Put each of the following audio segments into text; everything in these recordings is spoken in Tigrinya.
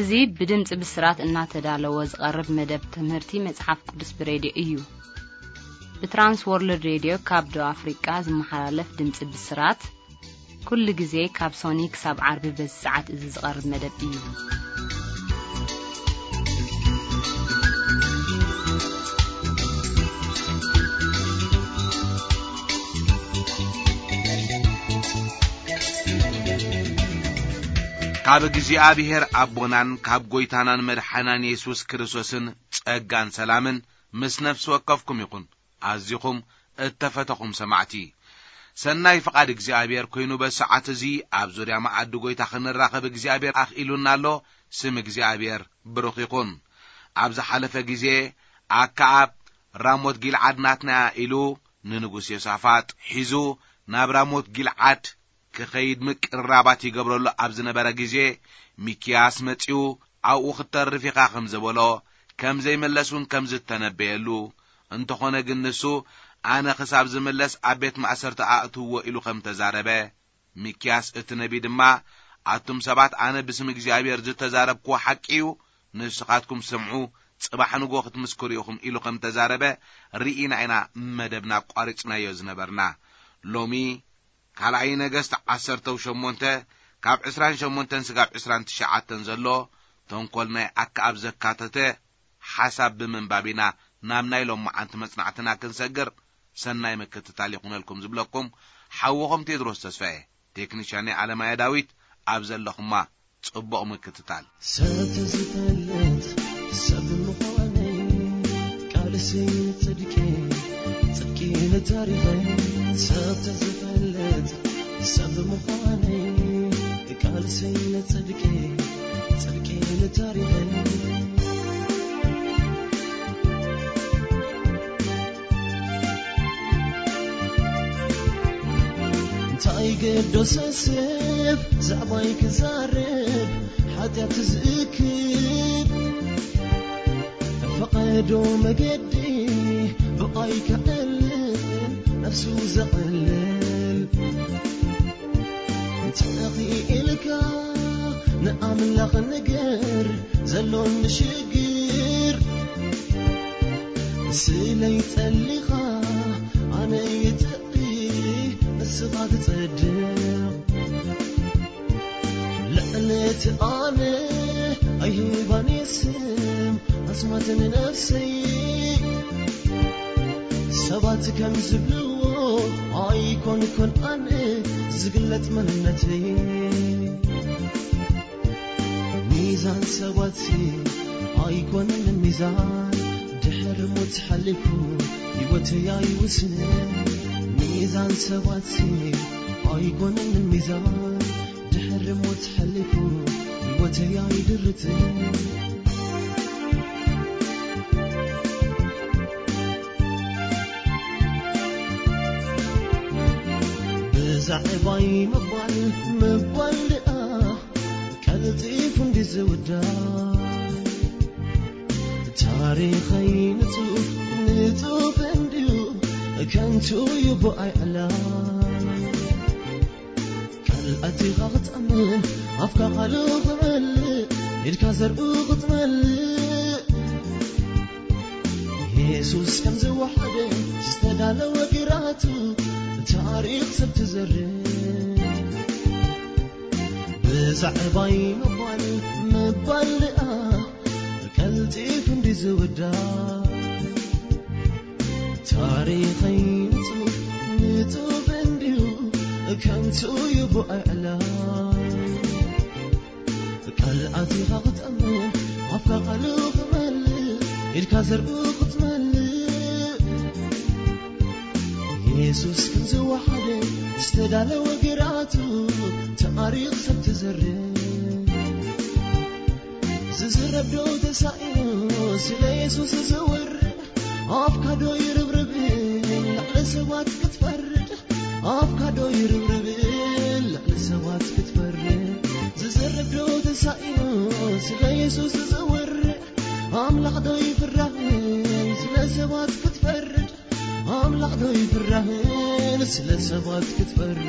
እዚ ብድምጺ ብስራት እናተዳለወ ዝቐርብ መደብ ትምህርቲ መጽሓፍ ቅዱስ ብሬድዮ እዩ። ብትራንስ ወርልድ ሬድዮ ካብ ደቡብ ኣፍሪቃ ዝመሓላለፍ ድምጺ ብስራት፣ ኩሉ ግዜ ካብ ሶኒ ክሳብ ዓርቢ በዚ ሰዓት እዚ ዝቐርብ መደብ እዩ። ካብ እግዚኣብሔር ኣቦናን ካብ ጐይታናን መድሓናን የሱስ ክርስቶስን ጸጋን ሰላምን ምስ ነፍሲ ወከፍኩም ይኹን። ኣዚኹም እተፈተኹም ሰማዕቲ፣ ሰናይ ፍቓድ እግዚኣብሔር ኮይኑ በዚ ሰዓት እዚ ኣብ ዙርያ መኣዲ ጐይታ ክንራኸብ እግዚኣብሔር ኣኽኢሉና ኣሎ። ስም እግዚኣብሔር ብሩኽ ይኹን። ኣብ ዝሓለፈ ግዜ ኣከኣብ ራሞት ጊልዓድ ናትና ኢሉ ንንጉስ ዮሳፋጥ ሒዙ ናብ ራሞት ጊልዓድ ክኸይድ ምቅርራባት ይገብረሉ ኣብ ዝነበረ ግዜ፣ ሚክያስ መጺኡ ኣብኡ ክትተርፍ ኢኻ ከም ዝበሎ፣ ከም ዘይምለስ እውን ከም ዝተነበየሉ፣ እንተኾነ ግን ንሱ ኣነ ክሳብ ዝምለስ ኣብ ቤት ማእሰርቲ ኣእትውዎ ኢሉ ከም ተዛረበ፣ ሚክያስ እቲ ነቢ ድማ ኣቱም ሰባት ኣነ ብስም እግዚኣብሔር ዝተዛረብክዎ ሓቂ እዩ፣ ንስኻትኩም ስምዑ፣ ጽባሕ ንግሆ ክትምስክሩ ኢኹም ኢሉ ከም ተዛረበ ርኢና ኢና መደብና ኣቋሪጽናዮ ዝነበርና። ሎሚ ካልኣይ ነገስት ዓሰርተ ሸሞንተ ካብ ዕስራን ሸሞንተን ስጋብ ዕስራን ትሽዓተን ዘሎ ተንኮል ናይ ኣከኣብ ዘካተተ ሓሳብ ብምንባብ ኢና ናብ ናይ ሎማዓንቲ መጽናዕትና ክንሰግር። ሰናይ ምክትታል ይኹነልኩም ዝብለኩም ሓውኹም ቴድሮስ ተስፋዬ፣ ቴክኒሻን ኣለማየ ዳዊት። ኣብ ዘለኹማ ጽቡቕ ምክትታል። ሰብ ተዝፈልጥ ሰብ ምዃነይ፣ ቃልሲ ጽድቂ፣ ጽድቂ ንታሪኸይ። ሰብ ተዝፈልጥ ሰብ ምዃነይ፣ ቃልሲ ንጽድቂ፣ ጽድቂ ንታሪኸይ። እንታይ ገደሰ ሰብ ዛዕባይ ክዛረብ፣ ሓጢኣት ዝእክብ ፈቐዶ መገዲ ብኣይ ክዕልል፣ ነፍሱ ዘቕልል። ተኺኢልካ ንኣምላኽ ንገር ዘሎኒ ሽግር፣ ስለይ ጸሊኻ ኣነ ይጥዒ ንስኻ ትጸድቕ። ልዕሊ እቲ ኣነ ኣይህባን ስም ኣስማት ንነፍሰይ። ሰባት ከም ዝብልዎ ኣይኮንኩን ኣነ ዝግለጽ መንነተይ። ሚዛን ሰባት ኣይኮነን ሚዛን፣ ድሕሪ ሞት ሓሊፉ ህይወተይ ኣይውስንን። ሚዛን ሰባት ኣይኮነን ሚዛን፣ ድሕሪ ሞት ሓሊፉ ህይወተይ ኣይድርትን። ብዛዕባይ ምባል ምባል ደኣ ቀልጢፉ እንዲ ዝውዳእ፣ ታሪኸይ ንጹፍ ንጹፍ እንድዩ፣ ከንቱ እዩ ብኣይ ዕላል። ቃል ኣቲኻ ክትኣምን፣ ኣፍካ ቃሉ ክመልእ፣ ኢድካ ዘርኡ ክትመልእ፣ የሱስ ከም ዝወሓደ ዝተዳለወ ግራቱ፣ ታሪኽ ሰብ ትዘርእ። ብዛዕባይ ምባል ምባል ደኣ ቀልጢፉ እንዲ ዝውዳእ፣ ታሪኸይ ንጹፍ ንጹፍ እንድዩ፣ ከንቱ እዩ ብኣይ ዕላል። ቃል ኣቲኻ ክትኣምን፣ ኣፍካ ቃሉ ክመልእ፣ ኢድካ ዘርኡ ክትመልእ፣ የሱስ ከም ዝወሓደ ዝተዳለወ ግራቱ፣ ታሪኽ ሰብ ትዘርእ። ዝዝረብ ዶ ተሳኢኑ ስለ የሱስ ዝወርድ፣ ኣፍካ ዶ ይርብርብ ንላዕሊ ሰባት ክትፈርድ፣ ኣፍካ ዶ ይርብርብ ንላዕሊ ሰባት ክትፈርድ። ዝዝረብ ዶ ተሳኢኑ ስለ የሱስ ዝወርድ፣ ኣምላኽ ዶ ይፍራህ ስለ ሰባት ክትፈርድ፣ ኣምላኽ ዶ ይፍራህ ስለ ሰባት ክትፈርድ።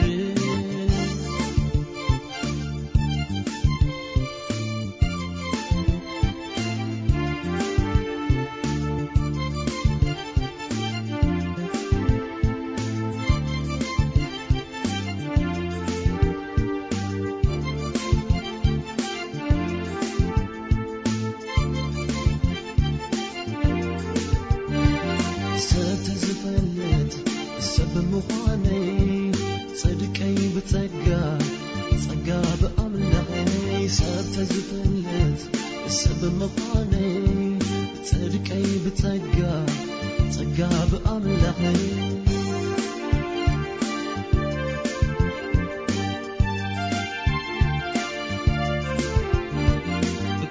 ጽድቀይ ብጸጋ፣ ጸጋ ብኣምላኸይ፣ ሰብ ተዝፈልጥ ሰብ ምዃነይ፣ ጽድቀይ ብጸጋ፣ ጸጋ ብኣምላኸይ።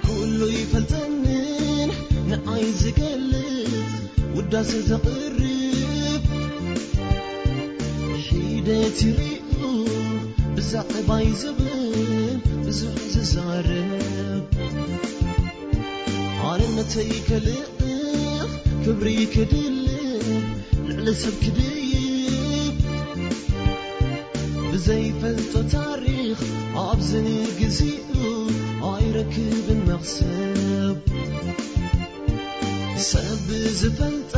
ኩሉ ይፈልጠንን ንዓይ ዝገልጽ፣ ውዳሴ ዘቕርብ፣ ሒደት ይርእዩ ብዛዕባይ ዝብል፣ ብዙሕ ዝዛረብ። ኣነነተይ ከልእኽ፣ ክብሪ ክድልብ፣ ልዕሊ ሰብ ክድይብ፣ ብዘይፈልጦ ታሪኽ ኣብዚ ግዜኡ ኣይረክብን መኽሰብ። ሰብ ዝፈልጣ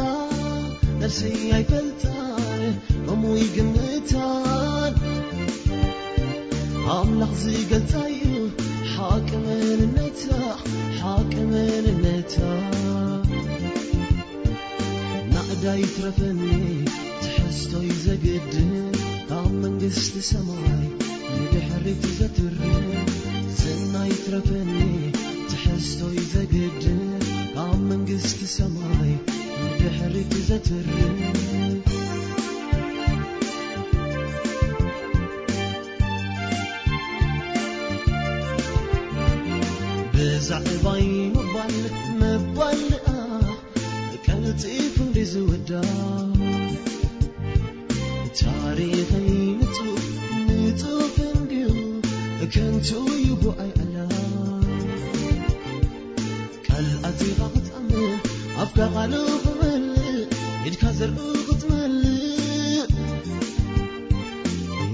ነፍሰይ ኣይፈልጣን፣ ከምኡ ይግምታን። ኣምላኽ ዝገልጻ እዩ ሓቂ መንነታ፣ ሓቂ መንነታ። ናእዳ ይትረፈኒ ትሕዝቶይ ዘግድን፣ ካብ መንግስቲ ሰማይ ንድሕሪት ዘትርፍ። ዝና ይትረፈኒ ትሕዝቶይ ዘግድን፣ ካብ መንግስቲ ሰማይ ንድሕሪት ዘትርፍ። ብዛዕባይ ምባል፣ ምባል ደኣ ቀልጢፉ እንዲ ዝውዳእ፣ ታሪኸይ ንጹፍ፣ ንጹፍ እንድዩ፣ ከንቱ እዩ ብኣይ ዕላል። ቃል ኣቲኻ ክትኣምን፣ ኣፍካ ቃሉ ክመልእ፣ ኢድካ ዘርኡ ክትመልእ።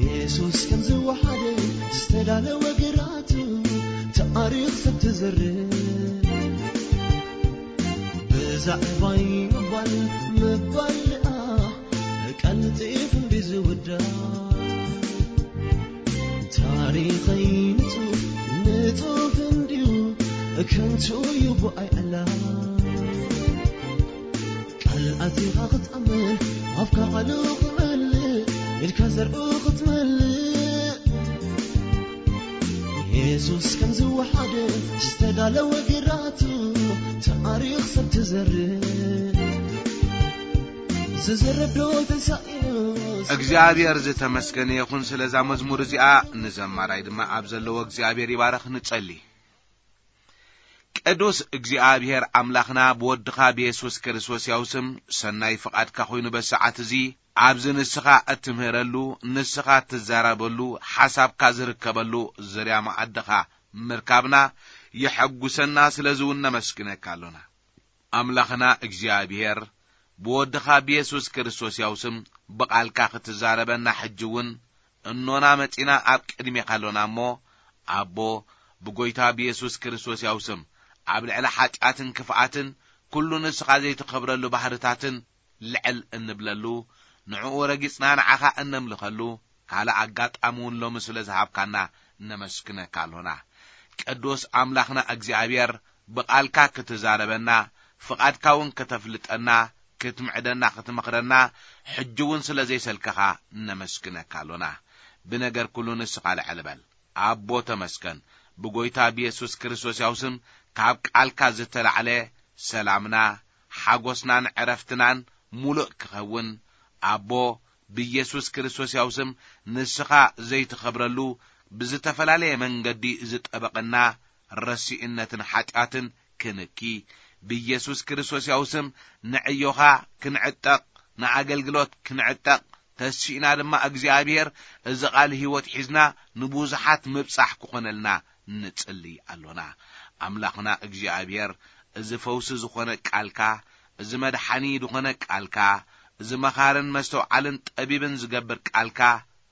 የሱስ ከም ዝወሓደ ዝተዳለወ ግራት፣ ታሪኽ ሰብ ትዘርእ። ብዛዕባይ ምባል፣ ምባል ደኣ ቀልጢፉ እንዲ ዝውዳእ፣ ታሪኸይ ንጹፍ፣ ንጹፍ እንድዩ፣ ከንቱ እዩ ብኣይ ዕላል። ቃል ኣቲኻ ክትኣምን፣ ኣፍካ ቃሉ ክመልእ፣ ኢድካ ዘርኡ ክትመልእ። የሱስ ከም ዝወሓደ ዝተዳለወ ግራቱ፣ ታሪኽ ሰብ ትዘርእ። ዝዘረብ ዶ ተሳኢኑስ? እግዚኣብሔር ዝተመስገነ ይኹን ስለዛ መዝሙር እዚኣ። ንዘማራይ ድማ ኣብ ዘለዎ እግዚኣብሔር ይባረኽ። ንጸሊ። ቅዱስ እግዚኣብሔር ኣምላኽና፣ ብወድኻ ብየሱስ ክርስቶስ ያው ስም ሰናይ ፍቓድካ ኮይኑ በሰዓት እዚ ኣብዚ ንስኻ እትምህረሉ፣ ንስኻ እትዛረበሉ፣ ሓሳብካ ዝርከበሉ ዙርያ መኣድኻ ምርካብና የሐጉሰና፣ ስለዚ እውን ነመስግነካ ኣሎና። ኣምላኽና እግዚኣብሔር፣ ብወድኻ ብየሱስ ክርስቶስ ያው ስም ብቓልካ ክትዛረበና ሕጂ እውን እኖና መጺና ኣብ ቅድሜኻ ኣሎና እሞ፣ ኣቦ፣ ብጎይታ ብየሱስ ክርስቶስ ያው ስም ኣብ ልዕሊ ሓጢኣትን ክፍኣትን ኩሉ ንስኻ ዘይትኸብረሉ ባህርታትን ልዕል እንብለሉ፣ ንዕኡ ረጊጽና ንዓኻ እነምልኸሉ ካልእ ኣጋጣሚ እውን ሎሚ ስለ ዝሃብካና ነመስግነካ ኣሎና። ቅዱስ ኣምላኽና እግዚኣብሔር፣ ብቓልካ ክትዛረበና፣ ፍቓድካ እውን ከተፍልጠና፣ ክትምዕደና፣ ክትመኽረና፣ ሕጂ እውን ስለ ዘይሰልከኻ ነመስግነካ ኣሎና። ብነገር ኩሉ ንስኻ ልዕል በል። ኣቦ ተመስገን። ብጎይታ ብየሱስ ክርስቶስ ያው ስም ካብ ቃልካ ዝተላዕለ ሰላምና፣ ሓጎስናን ዕረፍትናን ሙሉእ ክኸውን፣ ኣቦ፣ ብየሱስ ክርስቶስ ያው ስም ንስኻ ዘይትኸብረሉ ብዝተፈላለየ መንገዲ ዝጠበቐና ረሲእነትን ሓጢኣትን ክንኪ፣ ብየሱስ ክርስቶስ ያው ስም ንዕዮኻ ክንዕጠቕ፣ ንኣገልግሎት ክንዕጠቕ፣ ተሲእና ድማ እግዚኣብሔር እዚ ቃል ህይወት ሒዝና ንብዙሓት ምብጻሕ ክኾነልና ንጽሊ ኣሎና። ኣምላኽና እግዚኣብሔር፣ እዚ ፈውሲ ዝኾነ ቃልካ፣ እዚ መድሓኒ ዝኾነ ቃልካ፣ እዚ መኻርን መስተውዓልን ጠቢብን ዝገብር ቃልካ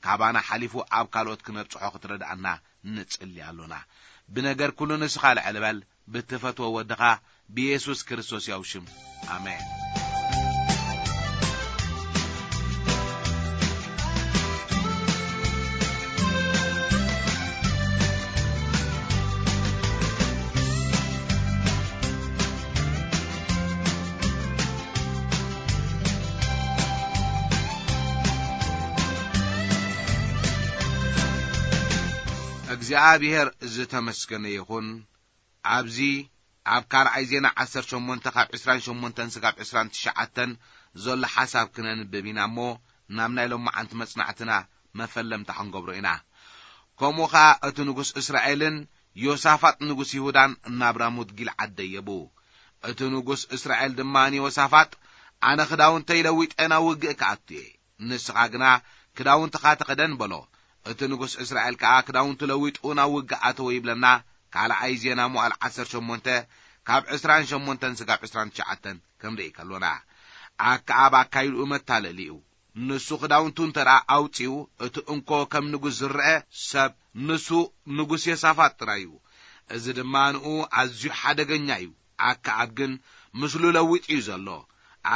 ካባና ሓሊፉ ኣብ ካልኦት ክነብጽሖ ክትረድኣና ንጽሊ ኣሎና። ብነገር ኩሉ ንስኻ ልዕል በል፣ ብትፈትዎ ወድኻ ብየሱስ ክርስቶስ ያው ሽም። ኣሜን። እግዚኣብሔር ዝተመስገነ ይኹን። ኣብዚ ኣብ ካልኣይ ዜና ዓሰርተ ሸሞንተ ካብ ዕስራን ሸሞንተን ስጋብ ዕስራን ትሽዓተን ዘሎ ሓሳብ ክነንብብ ኢና እሞ፣ ናብ ናይ ሎማዓንቲ መጽናዕትና መፈለምታ ክንገብሮ ኢና። ከምኡ ኸኣ እቲ ንጉስ እስራኤልን ዮሳፋጥ ንጉስ ይሁዳን ናብ ራሞት ጊልዓድ ደየቡ። እቲ ንጉስ እስራኤል ድማ ንዮሳፋጥ፣ "ኣነ ክዳውንተይ ለዊጠ ናብ ውግእ ክኣቱ እየ፣ ንስኻ ግና ክዳውንትኻ ተኸደን" በሎ። እቲ ንጉስ እስራኤል ከኣ ክዳውንቱ ለዊጡ ናብ ውግእ ኣተወ ይብለና። ካልኣይ ዜና መዋዕል ዓሰርተ ሸሞንተ ካብ ዕስራን ሸሞንተን ስጋብ ዕስራን ትሽዓተን ክንርኢ ከሎና፣ ኣከኣብ ኣካይድኡ መታለሊ እዩ። ንሱ ክዳውንቱ እንተ ደኣ ኣውጺኡ፣ እቲ እንኮ ከም ንጉስ ዝረአ ሰብ ንሱ ንጉስ ዮሳፋጥ ጥራይ እዩ። እዚ ድማ ንኡ ኣዝዩ ሓደገኛ እዩ። ኣከኣብ ግን ምስሉ ለዊጡ እዩ ዘሎ።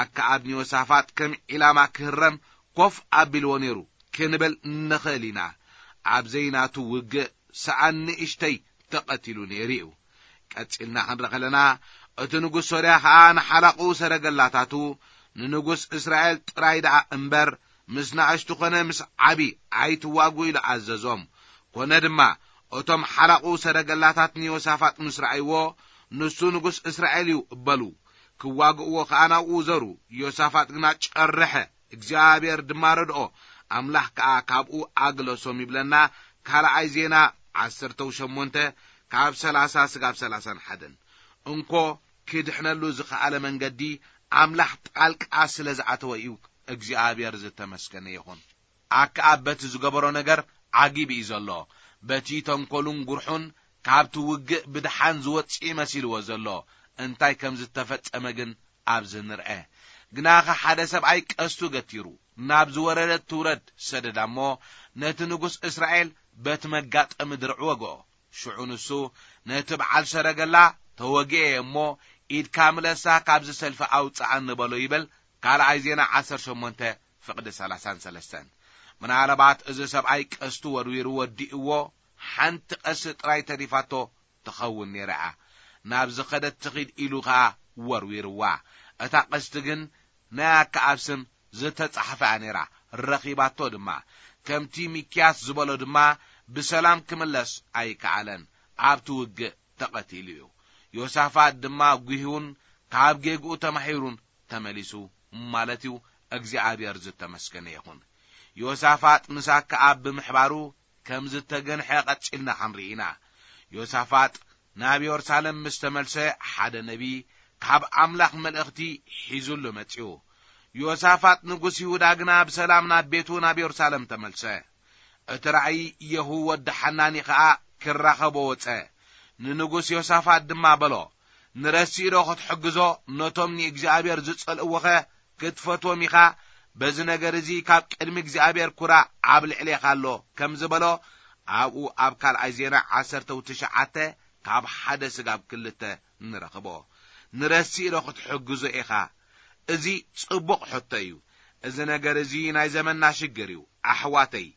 ኣከኣብ ንዮሳፋጥ ከም ዒላማ ክህረም ኮፍ ኣቢልዎ ነይሩ ክንብል ንኽእል ኢና። ኣብ ዘይናቱ ውግእ ሰኣን ንእሽተይ ተቐቲሉ ነይሩ እዩ። ቀጺልና ክንርኢ ከለና፣ እቲ ንጉስ ሶርያ ኸኣ ንሓላቑ ሰረገላታቱ፣ ንንጉስ እስራኤል ጥራይ ደኣ እምበር፣ ምስ ንኣሽቱ ኾነ ምስ ዓቢ ኣይትዋጉ ኢሉ ኣዘዞም። ኮነ ድማ፣ እቶም ሓላቑ ሰረገላታት ንዮሳፋጥ ምስ ረኣይዎ፣ "ንሱ ንጉስ እስራኤል እዩ" በሉ። ክዋግእዎ ኸኣ ናብኡ ዘሩ። ዮሳፋጥ ግና ጨርሐ፣ እግዚኣብሔር ድማ ረድኦ፣ ኣምላኽ ከኣ ካብኡ ኣግለሶም ይብለና። ካልኣይ ዜና ዓሰርተ ሸሞንተ ካብ ሰላሳ ስጋብ ሰላሳን ሓደን። እንኮ ክድሕነሉ ዝኸኣለ መንገዲ ኣምላኽ ጣልቃ ስለ ዝኣተወ እዩ እግዚኣብሔር ዝተመስገነ ይኹን። ኣከኣብ በቲ ዝገበሮ ነገር ዓጊቡ እዩ ዘሎ። በቲ ተንኮሉን ጉርሑን ካብቲ ውግእ ብድሓን ዝወጽእ መሲልዎ ዘሎ። እንታይ ከም ዝተፈጸመ ግን ኣብዚ ንርአ። ግናኸ ሓደ ሰብኣይ ቀስቱ ገቲሩ ናብ ዝወረደት ትውረድ ሰደዳ እሞ ነቲ ንጉስ እስራኤል በቲ መጋጠሚ ድርዕ ወግኦ። ሽዑ ንሱ ነቲ በዓል ሰረገላ፣ "ተወጊኤ እሞ ኢድካ ምለሳ፣ ካብዚ ሰልፊ ኣውጽኣኒ" በሎ ይብል። ካልኣይ ዜና ዓሰርተ ሸሞንተ ፍቕዲ ሰላሳን ሰለስተን። ምናልባት እዚ ሰብኣይ ቀስቱ ወርዊሩ ወዲእዎ፣ ሓንቲ ቀስቲ ጥራይ ተሪፋቶ ትኸውን ነይራ እያ። ናብ ዝኸደት ትኺድ ኢሉ ኸኣ ወርዊርዋ። እታ ቀስቲ ግን ናይ ኣከኣብ ስም ዝተጻሕፈ እያ ነይራ። ረኺባቶ ድማ። ከምቲ ሚክያስ ዝበሎ ድማ ብሰላም ክምለስ ኣይከኣለን። ኣብቲ ውግእ ተቐቲሉ እዩ። ዮሳፋጥ ድማ ጉሂውን ካብ ጌግኡ ተማሂሩን ተመሊሱ ማለት እዩ። እግዚኣብሔር ዝተመስገነ ይኹን። ዮሳፋጥ ምስ ኣከኣብ ብምሕባሩ ከም ዝተገንሐ ቀጺልና ክንርኢ ኢና። ዮሳፋጥ ናብ የሩሳሌም ምስ ተመልሰ፣ ሓደ ነቢ ካብ ኣምላኽ መልእኽቲ ሒዙሉ መጺኡ። ዮሳፋጥ ንጉስ ይሁዳ ግና ብሰላም ናብ ቤቱ ናብ የሩሳሌም ተመልሰ። እቲ ራእይ የሁ ወዲ ሓናኒ ኸኣ ክራኸቦ ወጸ። ንንጉስ ዮሳፋጥ ድማ በሎ፣ "ንረሲእ ዶ ክትሕግዞ፣ ነቶም ንእግዚኣብሔር ዝጸልእዎኸ ክትፈትዎም ኢኻ? በዚ ነገር እዚ ካብ ቅድሚ እግዚኣብሔር ኩራ ኣብ ልዕሌኻ ኣሎ" ከም ዝበሎ፣ ኣብኡ ኣብ ካልኣይ ዜና ዓሰርተ ትሽዓተ ካብ ሓደ ስጋብ ክልተ ንረኽቦ። "ንረሲእ ዶ ክትሕግዞ ኢኻ?" እዚ ጽቡቕ ሕቶ እዩ። እዚ ነገር እዚ ናይ ዘመንና ሽግር እዩ። ኣሕዋተይ፣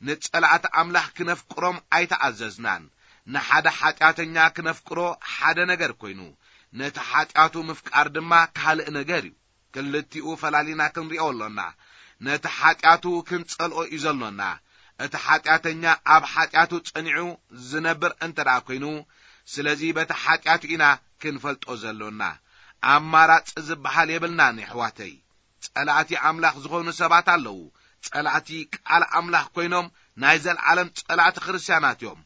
ንጸላእቲ ኣምላኽ ክነፍቅሮም ኣይተኣዘዝናን። ንሓደ ሓጢኣተኛ ክነፍቅሮ ሓደ ነገር ኮይኑ፣ ነቲ ሓጢኣቱ ምፍቃር ድማ ካልእ ነገር እዩ። ክልቲኡ ፈላሊና ክንሪኦ ኣሎና። ነቲ ሓጢኣቱ ክንጸልኦ እዩ ዘሎና። እቲ ሓጢኣተኛ ኣብ ሓጢኣቱ ጸኒዑ ዝነብር እንተ ደኣ ኮይኑ፣ ስለዚ በቲ ሓጢኣቱ ኢና ክንፈልጦ ዘሎና። ኣማራጺ ዝበሃል የብልናን የሕዋተይ። ጸላእቲ ኣምላኽ ዝኾኑ ሰባት ኣለዉ። ጸላእቲ ቃል ኣምላኽ ኮይኖም ናይ ዘልዓለም ጸላእቲ ክርስትያናት እዮም።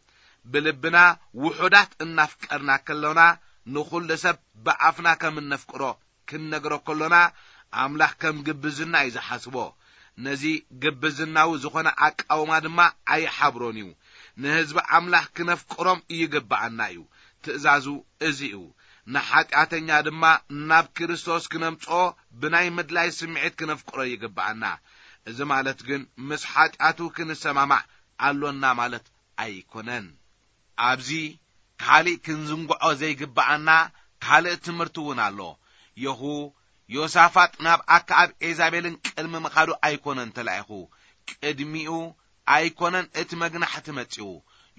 ብልብና ውሑዳት እናፍቀርና ከሎና፣ ንኹሉ ሰብ ብኣፍና ከም እነፍቅሮ ክንነግሮ ከሎና፣ ኣምላኽ ከም ግብዝና እዩ ዝሓስቦ። ነዚ ግብዝናዊ ዝኾነ ኣቃውማ ድማ ኣይሓብሮን እዩ። ንህዝቢ ኣምላኽ ክነፍቅሮም ይግብኣና እዩ። ትእዛዙ እዚ እዩ። ንሓጢኣተኛ ድማ ናብ ክርስቶስ ክነምጽኦ ብናይ ምድላይ ስምዒት ክነፍቅሮ ይግብኣና። እዚ ማለት ግን ምስ ሓጢኣቱ ክንሰማማዕ ኣሎና ማለት ኣይኮነን። ኣብዚ ካልእ ክንዝንግዖ ዘይግብኣና ካልእ ትምህርቲ እውን ኣሎ። የኹ ዮሳፋጥ ናብ ኣከኣብ ኤዛቤልን ቅድሚ ምኻዱ ኣይኮነን ተላኢኹ። ቅድሚኡ ኣይኮነን እቲ መግናሕቲ መጺኡ።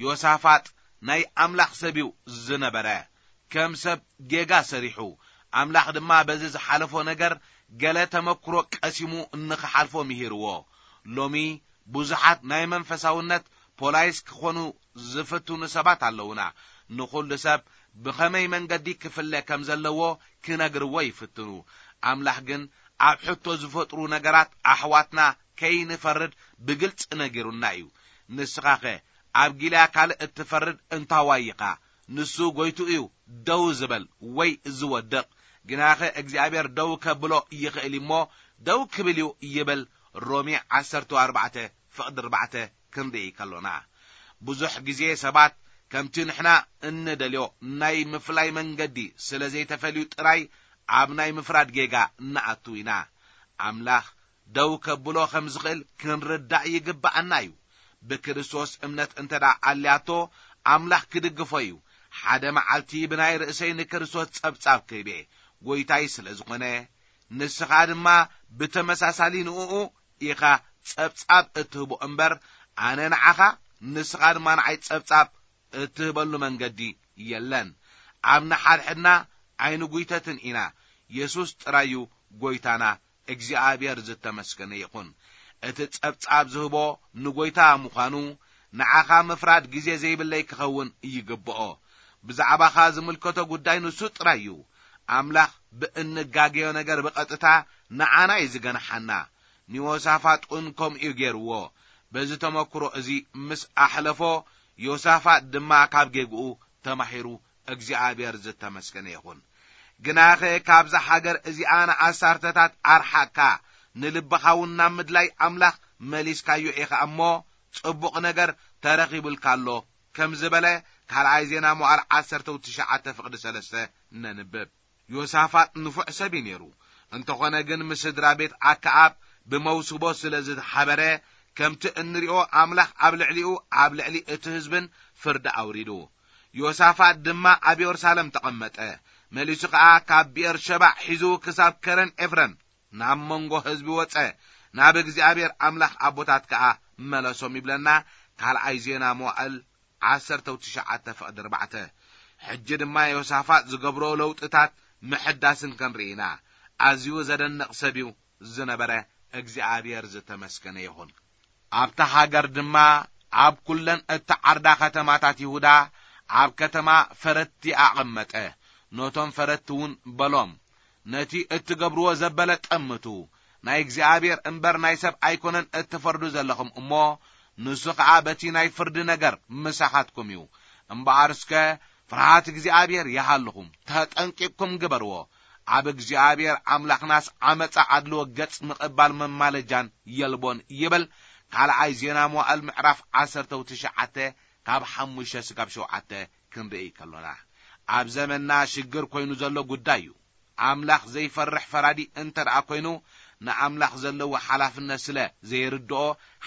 ዮሳፋጥ ናይ ኣምላኽ ሰብ እዩ ዝነበረ። ከም ሰብ ጌጋ ሰሪሑ። ኣምላኽ ድማ በዚ ዝሓለፎ ነገር ገለ ተመክሮ ቀሲሙ ንኽሓልፎ ምሂርዎ። ሎሚ ብዙሓት ናይ መንፈሳውነት ፖላይስ ክኾኑ ዝፍትኑ ሰባት ኣለዉና። ንኹሉ ሰብ ብኸመይ መንገዲ ክፍለ ከም ዘለዎ ክነግርዎ ይፍትኑ። ኣምላኽ ግን ኣብ ሕቶ ዝፈጥሩ ነገራት ኣሕዋትና ከይንፈርድ ብግልጺ ነጊሩና እዩ። ንስኻኸ ኣብ ጊልያ ካልእ እትፈርድ እንታዋይ ኢኻ? ንሱ ጎይቱ እዩ፣ ደው ዝበል ወይ ዝወድቕ። ግናኸ እግዚኣብሔር ደው ከብሎ ይኽእል እሞ ደው ክብል እዩ ይብል። ሮሜ ዓሰርተ ኣርባዕተ ፍቕዲ ኣርባዕተ ክንርኢ ከሎና፣ ብዙሕ ግዜ ሰባት ከምቲ ንሕና እንደልዮ ናይ ምፍላይ መንገዲ ስለ ዘይተፈልዩ ጥራይ ኣብ ናይ ምፍራድ ጌጋ ንኣቱ ኢና። ኣምላኽ ደው ከብሎ ከም ዝኽእል ክንርዳእ ይግብኣና እዩ። ብክርስቶስ እምነት እንተ ደኣ ኣልያቶ፣ ኣምላኽ ክድግፎ እዩ። ሓደ መዓልቲ ብናይ ርእሰይ ንክርስቶስ ጸብጻብ ክህብ እየ፣ ጐይታይ ስለ ዝኾነ፣ ንስኻ ድማ ብተመሳሳሊ ንእኡ ኢኻ ጸብጻብ እትህቦ እምበር፣ ኣነ ንዓኻ፣ ንስኻ ድማ ንዓይ ጸብጻብ እትህበሉ መንገዲ የለን። ኣብ ንሓድሕድና ኣይንጉይተትን ኢና። የሱስ ጥራይ እዩ ጐይታና። እግዚኣብሔር ዝተመስገነ ይኹን። እቲ ጸብጻብ ዝህቦ ንጐይታ ምዃኑ፣ ንዓኻ ምፍራድ ግዜ ዘይብለይ ክኸውን ይግብኦ። ብዛዕባኻ ዝምልከቶ ጉዳይ ንሱ ጥራይ እዩ። ኣምላኽ ብእንጋገዮ ነገር ብቐጥታ ንዓና እዩ ዝገንሓና። ንዮሳፋጥ እውን ከምኡ እዩ ገይርዎ። በዚ ተመክሮ እዚ ምስ ኣሕለፎ፣ ዮሳፋጥ ድማ ካብ ጌግኡ ተማሂሩ፣ እግዚኣብሔር ዝተመስገነ ይኹን። ግናኸ ካብዛ ሃገር እዚኣ ንኣሳርተታት ኣርሓቅካ፣ ንልብኻ እውን ናብ ምድላይ ኣምላኽ መሊስካዮ ኢኻ እሞ፣ ጽቡቕ ነገር ተረኺቡልካ ኣሎ፣ ከም ዝበለ ካልኣይ ዜና መዋዕል ዓሰርተ ትሽዓተ ፍቕዲ ሰለስተ ነንብብ። ዮሳፋጥ ንፉዕ ሰብ እዩ ነይሩ። እንተኾነ ግን ምስ ስድራ ቤት ኣከኣብ ብመውስቦ ስለ ዝተሓበረ፣ ከምቲ እንሪኦ ኣምላኽ ኣብ ልዕሊኡ፣ ኣብ ልዕሊ እቲ ህዝብን ፍርዲ ኣውሪዱ። ዮሳፋጥ ድማ ኣብ የሩሳሌም ተቐመጠ። መሊሱ ኸኣ ካብ ብኤር ሸባዕ ሒዙ ክሳብ ከረን ኤፍረም፣ ናብ መንጎ ህዝቢ ወጸ፣ ናብ እግዚኣብሔር ኣምላኽ ኣቦታት ከኣ መለሶም ይብለና ካልኣይ ዜና መዋዕል ዓሰርተ ትሽዓተ ፍቕዲ ኣርባዕተ። ሕጂ ድማ ዮሳፋጥ ዝገብሮ ለውጥታት ምሕዳስን ክንርኢ ኢና። ኣዝዩ ዘደንቕ ሰብ እዩ ዝነበረ። እግዚኣብሔር ዝተመስገነ ይኹን። ኣብታ ሃገር ድማ ኣብ ኩለን እተዓርዳ ከተማታት ይሁዳ ኣብ ከተማ ፈረትቲ ኣቐመጠ። ነቶም ፈረትቲ እውን በሎም፣ ነቲ እትገብርዎ ዘበለ ጠምቱ። ናይ እግዚኣብሔር እምበር ናይ ሰብ ኣይኮነን እትፈርዱ ዘለኹም እሞ፣ ንሱ ኸኣ በቲ ናይ ፍርዲ ነገር ምሳኻትኩም እዩ። እምበኣር እስከ ፍርሃት እግዚኣብሔር ይሃልኹም፣ ተጠንቂቕኩም ግበርዎ። ኣብ እግዚኣብሔር ኣምላኽናስ ዓመጻ ኣድልዎ ገጽ ምቕባል መማለጃን የልቦን ይብል። ካልኣይ ዜና መዋዕል ምዕራፍ ዓሰርተ ትሽዓተ ካብ ሓሙሽተ ስጋብ ሸውዓተ ክንርኢ ከሎና፣ ኣብ ዘመንና ሽግር ኮይኑ ዘሎ ጉዳይ እዩ። ኣምላኽ ዘይፈርሕ ፈራዲ እንተ ደኣ ኮይኑ፣ ንኣምላኽ ዘለዎ ሓላፍነት ስለ ዘይርድኦ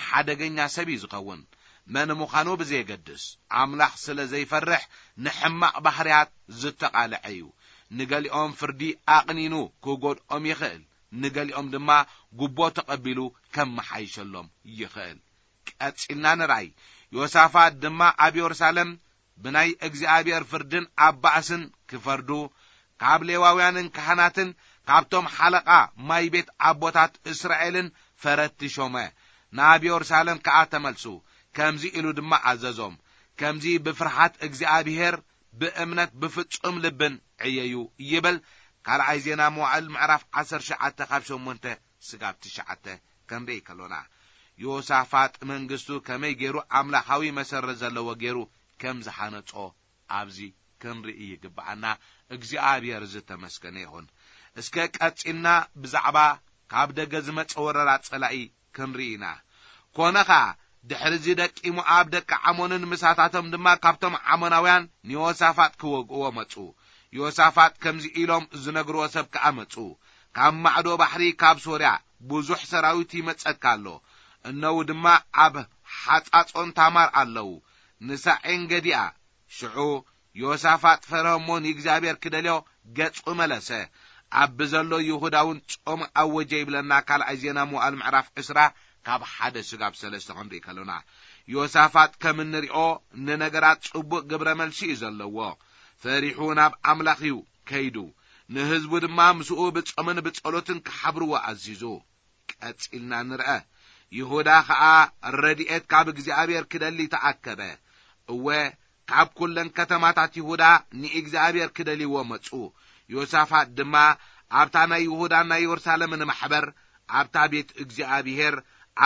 ሓደገኛ ሰብ እዩ ዝኸውን። መን ምዃኑ ብዘየገድስ፣ ኣምላኽ ስለ ዘይፈርሕ ንሕማቕ ባህርያት ዝተቓልዐ እዩ። ንገሊኦም ፍርዲ ኣቕኒኑ ክጎድኦም ይኽእል፣ ንገሊኦም ድማ ጉቦ ተቐቢሉ ከመሓይሸሎም ይኽእል። ቀጺልና ንርኣይ። ዮሳፋት ድማ ኣብ የሩሳሌም ብናይ እግዚኣብሔር ፍርድን ኣብ ባእስን ክፈርዱ፣ ካብ ሌዋውያንን ካህናትን ካብቶም ሓለቓ ማይ ቤት ኣቦታት እስራኤልን ፈረቲ ሾመ። ናብ የሩሳሌም ከኣ ተመልሱ። ከምዚ ኢሉ ድማ ኣዘዞም፣ ከምዚ ብፍርሃት እግዚኣብሔር ብእምነት ብፍጹም ልብን ዕየዩ ይብል። ካልኣይ ዜና መዋዕል ምዕራፍ ዓሰርተ ትሽዓተ ካብ ሸሞንተ ስጋብ ትሽዓተ ክንርኢ ከሎና፣ ዮሳፋጥ መንግስቱ ከመይ ገይሩ ኣምላኻዊ መሰረት ዘለዎ ገይሩ ከም ዝሃነጾ ኣብዚ ክንርኢ ይግብኣና። እግዚኣብሔር ዝተመስገነ ይኹን። እስከ ቀጺልና ብዛዕባ ካብ ደገ ዝመጸ ወረራ ጸላኢ ክንርኢ ኢና። ኮነ ኸኣ፣ ድሕሪ እዚ ደቂ ሞኣብ፣ ደቂ ዓሞንን ምሳታቶም ድማ ካብቶም ዓሞናውያን ንዮሳፋጥ ክወግእዎ መጹ። ዮሳፋጥ ከምዚ ኢሎም ዝነግርዎ ሰብ ከኣ መጹ፣ ካብ ማዕዶ ባሕሪ ካብ ሶርያ ብዙሕ ሰራዊት ይመጸካ ኣሎ። እነዉ ድማ ኣብ ሓጻጾን ታማር ኣለዉ። ንሳ ዔን ገዲኣ። ሽዑ ዮሳፋጥ ፈርሀ እሞ ንእግዚኣብሔር ክደልዮ ገጹ መለሰ። ኣብ ብዘሎ ይሁዳ እውን ጾም ኣወጀ ይብለና ካልኣይ ዜና መዋዕል ምዕራፍ ዕስራ ካብ ሓደ ስጋብ ሰለስተ ክንርኢ ከሎና። ዮሳፋጥ ከም እንሪኦ ንነገራት ጽቡቕ ግብረ መልሲ እዩ ዘለዎ። ፈሪሑ ናብ ኣምላኽ እዩ ከይዱ። ንህዝቡ ድማ ምስኡ ብጾምን ብጸሎትን ክሓብርዎ ኣዚዙ። ቀጺልና ንርአ። ይሁዳ ኸኣ ረድኤት ካብ እግዚኣብሔር ክደሊ ተኣከበ። እወ፣ ካብ ኩለን ከተማታት ይሁዳ ንእግዚኣብሔር ክደልይዎ መጹ። ዮሳፋጥ ድማ ኣብታ ናይ ይሁዳን ናይ የሩሳሌምን ማሕበር ኣብታ ቤት እግዚኣብሔር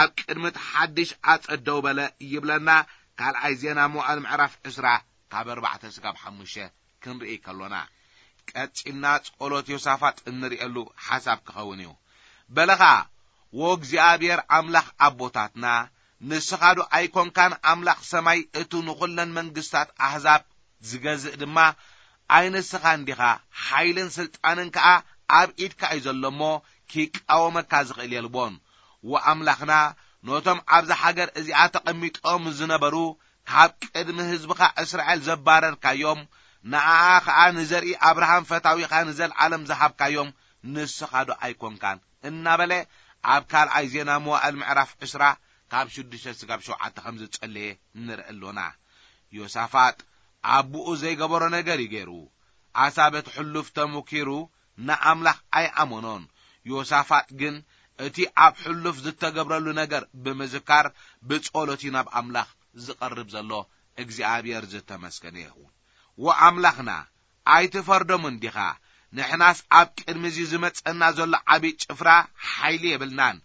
ኣብ ቅድሚ እቲ ሓድሽ ኣጸደው በለ ይብለና። ካልኣይ ዜና መዋዕል ምዕራፍ ዕስራ ካብ ኣርባዕተ ስጋብ ሓሙሽተ ክንርኢ ከሎና፣ ቀጺልና ጸሎት ዮሳፋጥ እንርእየሉ ሓሳብ ክኸውን እዩ። በለ ኸኣ፣ "ወእግዚኣብሔር ኣምላኽ ኣቦታትና፣ ንስኻ ዶ ኣይኮንካን ኣምላኽ ሰማይ፣ እቱ ንኹለን መንግስታት ኣህዛብ ዝገዝእ ድማ ኣይ ንስኻን ዲኻ? ሓይልን ስልጣንን ከኣ ኣብ ኢድካ እዩ ዘሎ እሞ፣ ኪቃወመካ ዝኽእል የልቦን። ወኣምላኽና፣ ነቶም ኣብዛ ሃገር እዚኣ ተቐሚጦም ዝነበሩ ካብ ቅድሚ ህዝብኻ እስራኤል ዘባረርካዮም፣ ንኣኣ ኸኣ ንዘርኢ ኣብርሃም ፈታዊኻ ንዘለዓለም ዝሃብካዮም ንስኻ ዶ ኣይኮንካን?" እናበለ ኣብ ካልኣይ ዜና መዋዕል ምዕራፍ ዕስራ ካብ ሽዱሽተ ስጋብ ሸውዓተ ከም ዝጸለየ ንርኢ ኣሎና። ዮሳፋጥ ኣቦኡ ዘይገበሮ ነገር እዩ ገይሩ። ኣሳ በቲ ሕሉፍ ተመኪሩ ንኣምላኽ ኣይኣመኖን። ዮሳፋጥ ግን እቲ ኣብ ሕሉፍ ዝተገብረሉ ነገር ብምዝካር ብጸሎት እዩ ናብ ኣምላኽ ዝቐርብ ዘሎ። እግዚኣብሔር ዝተመስገነ ይኹን። ወኣምላኽና ኣይትፈርዶምን ዲኻ? ንሕናስ ኣብ ቅድሚ እዚ ዝመጸና ዘሎ ዓቢ ጭፍራ ሓይሊ የብልናን።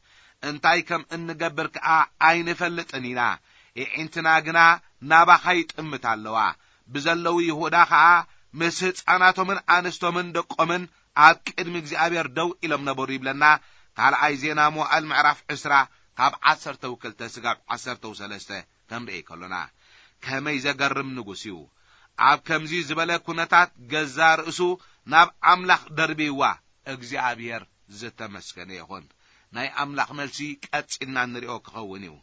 እንታይ ከም እንገብር ከኣ ኣይንፈልጥን ኢና። የዒንትና ግና ናባኻ ይጥምታ ኣለዋ። ብዘለዉ ይሁዳ ኸኣ ምስ ህጻናቶምን ኣንስቶምን ደቆምን ኣብ ቅድሚ እግዚኣብሔር ደው ኢሎም ነበሩ ይብለና። ካልኣይ ዜና መዋዕል ምዕራፍ ዕስራ ካብ ዓሰርተ ክልተ ስጋብ ዓሰርተ ሰለስተ ክንርኢ ከሎና፣ ከመይ ዘገርም ንጉስ እዩ! ኣብ ከምዚ ዝበለ ኩነታት ገዛ ርእሱ ናብ ኣምላኽ ደርብይዋ። እግዚኣብሔር ዝተመስገነ ይኹን። ናይ ኣምላኽ መልሲ ቀጺልና እንሪኦ ክኸውን እዩ።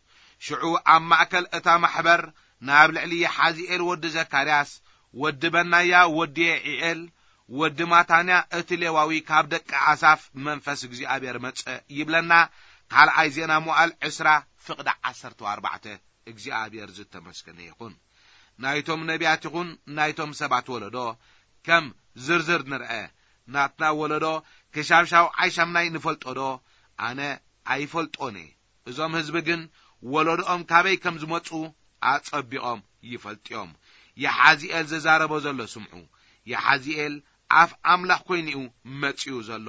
ሽዑ ኣብ ማእከል እታ ማሕበር ናብ ልዕሊ የሓዝኤል ወዲ ዘካርያስ፣ ወዲ በናያ ወዲ የዒኤል፣ ወዲ ማታንያ እቲ ሌዋዊ ካብ ደቂ ኣሳፍ መንፈስ እግዚኣብሔር መጸ ይብለና። ካልኣይ ዜና መዋዕል ዕስራ ፍቕዲ ዓሰርተ ኣርባዕተ። እግዚኣብሔር ዝተመስገነ ይኹን። ናይቶም ነቢያት ይኹን ናይቶም ሰባት ወለዶ ከም ዝርዝር ንርአ። ናትና ወለዶ ክሻብ ሻውዓይ ሻምናይ ንፈልጦ ዶ? ኣነ ኣይፈልጦን እየ። እዞም ህዝቢ ግን ወለዶኦም ካበይ ከም ዝመጹ ኣጸቢቖም ይፈልጡ እዮም። የሓዚኤል ዝዛረቦ ዘሎ ስምዑ። የሓዚኤል ኣፍ ኣምላኽ ኮይኑ እዩ መጺኡ ዘሎ።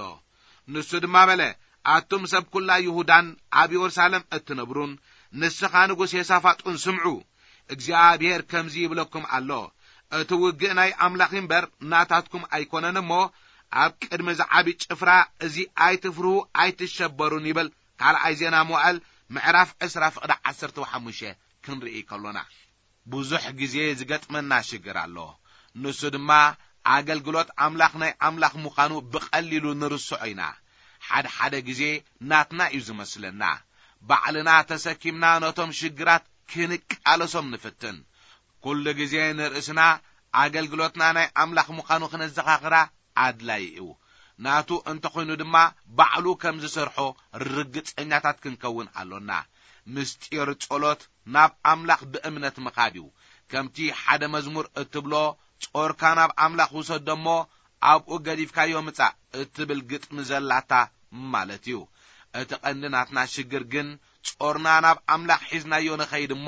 ንሱ ድማ በለ፣ ኣቱም ሰብ ኩላ ይሁዳን ኣብ የሩሳሌም እትነብሩን፣ ንስኻ ንጉስ የሳፋጡን ስምዑ። እግዚኣብሔር ከምዚ ይብለኩም ኣሎ፣ እቲ ውግእ ናይ ኣምላኽ እምበር ናታትኩም ኣይኮነን እሞ፣ ኣብ ቅድሚ ዝዓቢ ጭፍራ እዚ ኣይትፍርሁ ኣይትሸበሩን ይብል። ካልኣይ ዜና መዋዕል ምዕራፍ ዕስራ ፍቕዲ ዓሰርተ ሓሙሽተ ክንርኢ ከሎና፣ ብዙሕ ግዜ ዝገጥመና ሽግር ኣሎ። ንሱ ድማ ኣገልግሎት ኣምላኽ ናይ ኣምላኽ ምዃኑ ብቐሊሉ ንርስዖ ኢና። ሓደ ሓደ ግዜ ናትና እዩ ዝመስለና። ባዕልና ተሰኪምና ነቶም ሽግራት ክንቃለሶም ንፍትን። ኩሉ ግዜ ንርእስና ኣገልግሎትና ናይ ኣምላኽ ምዃኑ ክነዘኻኽራ ኣድላዪ እዩ። ናቱ እንተኾይኑ ድማ ባዕሉ ከም ዝሰርሖ ርግጸኛታት ክንከውን ኣሎና። ምስጢር ጸሎት ናብ ኣምላኽ ብእምነት ምኻድ እዩ። ከምቲ ሓደ መዝሙር እትብሎ፣ "ጾርካ ናብ ኣምላኽ ውሰዶ እሞ ኣብኡ ገዲፍካዮ ምጻእ" እትብል ግጥሚ ዘላታ ማለት እዩ። እቲ ቀንዲ ናትና ሽግር ግን ጾርና ናብ ኣምላኽ ሒዝናዮ ንኸይድ እሞ፣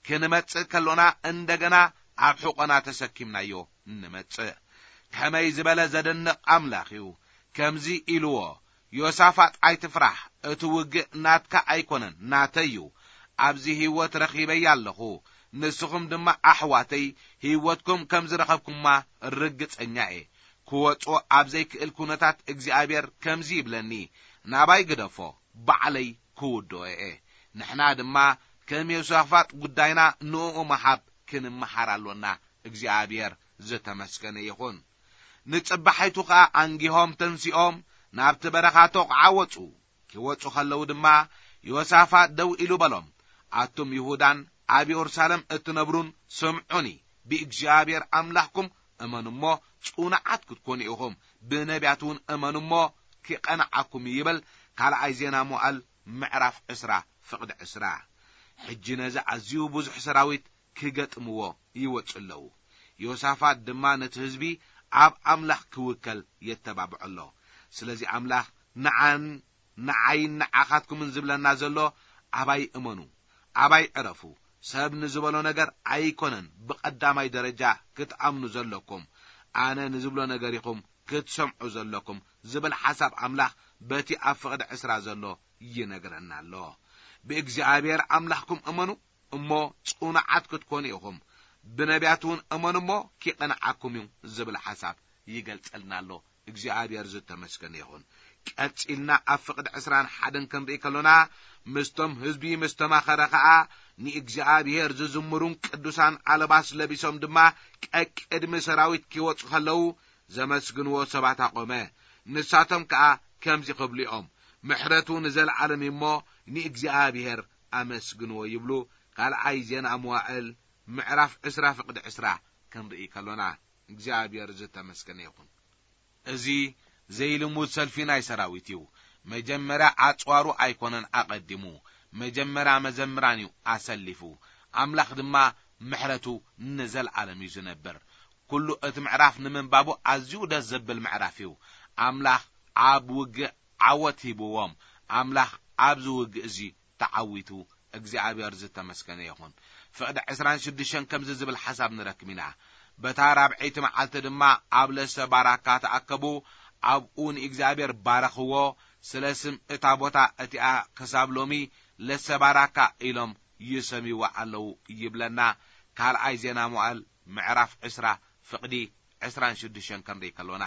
ክንመጽእ ከሎና እንደገና ኣብ ሕቖና ተሰኪምናዮ ንመጽእ። ከመይ ዝበለ ዘደንቕ ኣምላኽ እዩ! ከምዚ ኢልዎ፣ "ዮሳፋጥ ኣይትፍራሕ፣ እቲ ውግእ ናትካ ኣይኮነን፣ ናተይ እዩ። ኣብዚ ህይወት ረኺበያ ኣለኹ፣ ንስኹም ድማ ኣሕዋተይ ህይወትኩም ከም ዝረኸብኩማ ርግጸኛ እየ።" ክወጾ ኣብ ዘይክእል ኩነታት እግዚኣብሔር ከምዚ ይብለኒ፣ "ናባይ ግደፎ፣ ባዕለይ ክውድኦ እየ።" ንሕና ድማ ከም ዮሳፋጥ ጉዳይና ንእኡ ምሃብ ክንመሃር ኣሎና። እግዚኣብሔር ዝተመስገነ ይኹን። ንጽባሒቱ ኸኣ ኣንጊሆም ተንሲኦም ናብቲ በረኻ ተቑዓ ወጹ። ክወጹ ኸለዉ ድማ ዮሳፋጥ ደው ኢሉ በሎም፣ "ኣቱም ይሁዳን ኣብ የሩሳሌም እትነብሩን ስምዑኒ፣ ብእግዚኣብሔር ኣምላኽኩም እመኑ እሞ ጽኑዓት ክትኮኑ ኢኹም፣ ብነቢያት እውን እመኑ እሞ ክቐንዓኩም" ይብል። ካልኣይ ዜና መዋዕል ምዕራፍ ዕስራ ፍቕዲ ዕስራ። ሕጂ ነዚ ኣዝዩ ብዙሕ ሰራዊት ክገጥምዎ ይወጹ ኣለዉ። ዮሳፋጥ ድማ ነቲ ህዝቢ ኣብ ኣምላኽ ክውከል የተባብዖ ኣሎ። ስለዚ ኣምላኽ ንዓን ንዓይን ንዓኻትኩምን ዝብለና ዘሎ፣ ኣባይ እመኑ፣ ኣባይ ዕረፉ። ሰብ ንዝበሎ ነገር ኣይኮነን ብቐዳማይ ደረጃ ክትኣምኑ ዘለኩም፣ ኣነ ንዝብሎ ነገር ኢኹም ክትሰምዑ ዘለኩም ዝብል ሓሳብ ኣምላኽ በቲ ኣብ ፍቕዲ ዕስራ ዘሎ ይነግረና ኣሎ። ብእግዚኣብሔር ኣምላኽኩም እመኑ እሞ ጽኑዓት ክትኮኑ ኢኹም፣ ብነቢያት እውን እመኑ እሞ ኪቐንዓኩም እዩ ዝብል ሓሳብ ይገልጸልና ኣሎ። እግዚኣብሔር ዝተመስገነ ይኹን። ቀጺልና ኣብ ፍቕዲ ዕስራን ሓደን ክንርኢ ከሎና፣ ምስቶም ህዝቢ ምስ ተማኸረ ኸኣ፣ ንእግዚኣብሔር ዝዝምሩን ቅዱሳን ኣለባስ ለቢሶም ድማ ቀቅድሚ ሰራዊት ኪወጹ ከለዉ ዘመስግንዎ ሰባት ኣቖመ። ንሳቶም ከኣ ከምዚ ክብሉ እዮም፣ ምሕረቱ ንዘለዓለም እዩ እሞ ንእግዚኣብሔር ኣመስግንዎ ይብሉ። ካልኣይ ዜና መዋዕል ምዕራፍ ዕስራ ፍቕዲ ዕስራ ክንርኢ ከሎና፣ እግዚኣብሔር ዝተመስገነ ይኹን። እዚ ዘይልሙድ ሰልፊ ናይ ሰራዊት እዩ። መጀመርያ ኣጽዋሩ ኣይኮነን ኣቐዲሙ፣ መጀመርያ መዘምራን እዩ ኣሰሊፉ። ኣምላኽ ድማ ምሕረቱ ንዘለዓለም እዩ ዝነብር። ኩሉ እቲ ምዕራፍ ንምንባቡ ኣዝዩ ደስ ዘብል ምዕራፍ እዩ። ኣምላኽ ኣብ ውግእ ዓወት ሂብዎም። ኣምላኽ ኣብዚ ውግእ እዚ ተዓዊቱ። እግዚኣብሔር ዝተመስገነ ይኹን። ፍቕዲ ዕስራን ሽዱሽተን ከምዚ ዝብል ሓሳብ ንረክብ ኢና። በታ ራብዐይቲ መዓልቲ ድማ ኣብ ለሰ ባራካ ተኣከቡ፣ ኣብኡ ንእግዚኣብሔር ባረኽዎ። ስለ ስም እታ ቦታ እቲኣ ክሳብ ሎሚ ለሰ ባራካ ኢሎም ይሰምይዋ ኣለዉ ይብለና። ካልኣይ ዜና መዋዕል ምዕራፍ ዕስራ ፍቕዲ ዕስራን ሽዱሽተን ክንርኢ ከሎና፣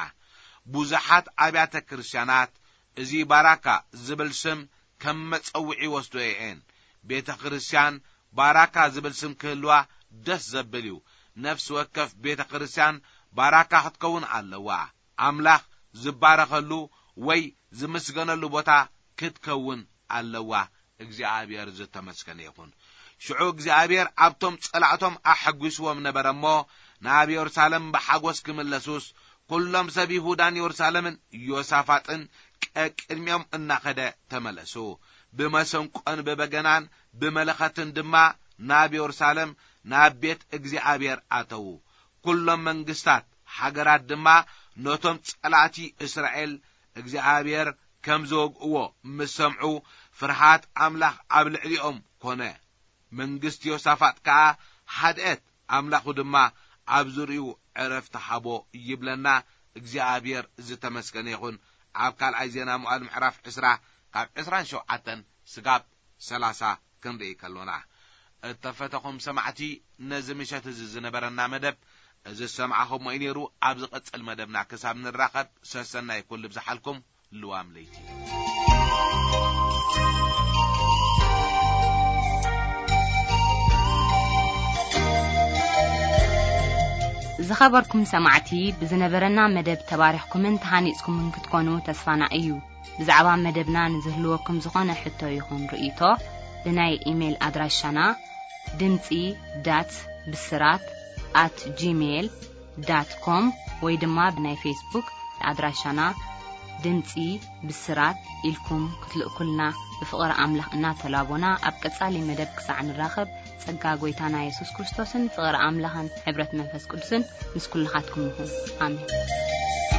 ብዙሓት ኣብያተ ክርስቲያናት እዚ ባራካ ዝብል ስም ከም መጸውዒ ይወስዶ እየን። ቤተ ክርስቲያን ባራካ ዝብል ስም ክህልዋ ደስ ዘብል እዩ። ነፍሲ ወከፍ ቤተ ክርስቲያን ባራካ ክትከውን ኣለዋ። ኣምላኽ ዝባረኸሉ ወይ ዝምስገነሉ ቦታ ክትከውን ኣለዋ። እግዚኣብሔር ዝተመስገነ ይኹን። ሽዑ እግዚኣብሔር ኣብቶም ጸላእቶም ኣሐጒስዎም ነበረ እሞ፣ ናብ የሩሳሌም ብሓጎስ ክምለሱስ፣ ኩሎም ሰብ ይሁዳን የሩሳሌምን ዮሳፋጥን ቀቅድሚኦም እናኸደ ተመለሱ። ብመሰንቆን ብበገናን ብመለኸትን ድማ ናብ የሩሳሌም ናብ ቤት እግዚኣብሔር ኣተዉ። ኩሎም መንግስታት ሃገራት ድማ ነቶም ጸላእቲ እስራኤል እግዚኣብሔር ከም ዝወግእዎ ምስ ሰምዑ፣ ፍርሃት ኣምላኽ ኣብ ልዕሊኦም ኮነ። መንግስቲ ዮሳፋጥ ከኣ ሃድአት፣ ኣምላኹ ድማ ኣብ ዙርያኡ ዕረፍቲ ሃቦ ይብለና። እግዚኣብሔር ዝተመስገነ ይኹን። ኣብ ካልኣይ ዜና መዋዕል ምዕራፍ ዕስራ ካብ ዕስራን ሸውዓተን ስጋብ ሰላሳ ክንርኢ ከሎና፣ እተፈተኹም ሰማዕቲ፣ ነዚ ምሸት እዚ ዝነበረና መደብ እዚ ዝሰማዕኹሞ እዩ ነይሩ። ኣብ ዝቕጽል መደብና ክሳብ ንራኸብ ሰሰናይ ኩሉ ብዝሓልኩም ልዋም ለይቲ። ዝኸበርኩም ሰማዕቲ፣ ብዝነበረና መደብ ተባሪኽኩምን ተሃኒጽኩምን ክትኮኑ ተስፋና እዩ። ብዛዕባ መደብና ንዝህልወኩም ዝኾነ ሕቶ ይኹን ርእይቶ፣ ብናይ ኢሜይል ኣድራሻና ድምጺ ዳት ብስራት ኣት ጂሜይል ዳት ኮም ወይ ድማ ብናይ ፌስቡክ ኣድራሻና ድምጺ ብስራት ኢልኩም ክትልእኩልና ብፍቕሪ ኣምላኽ እናተላቦና፣ ኣብ ቀጻሊ መደብ ክሳዕ ንራኸብ፣ ጸጋ ጐይታና የሱስ ክርስቶስን ፍቕሪ ኣምላኽን ሕብረት መንፈስ ቅዱስን ምስ ኩልኻትኩም ይኹን። ኣሜን።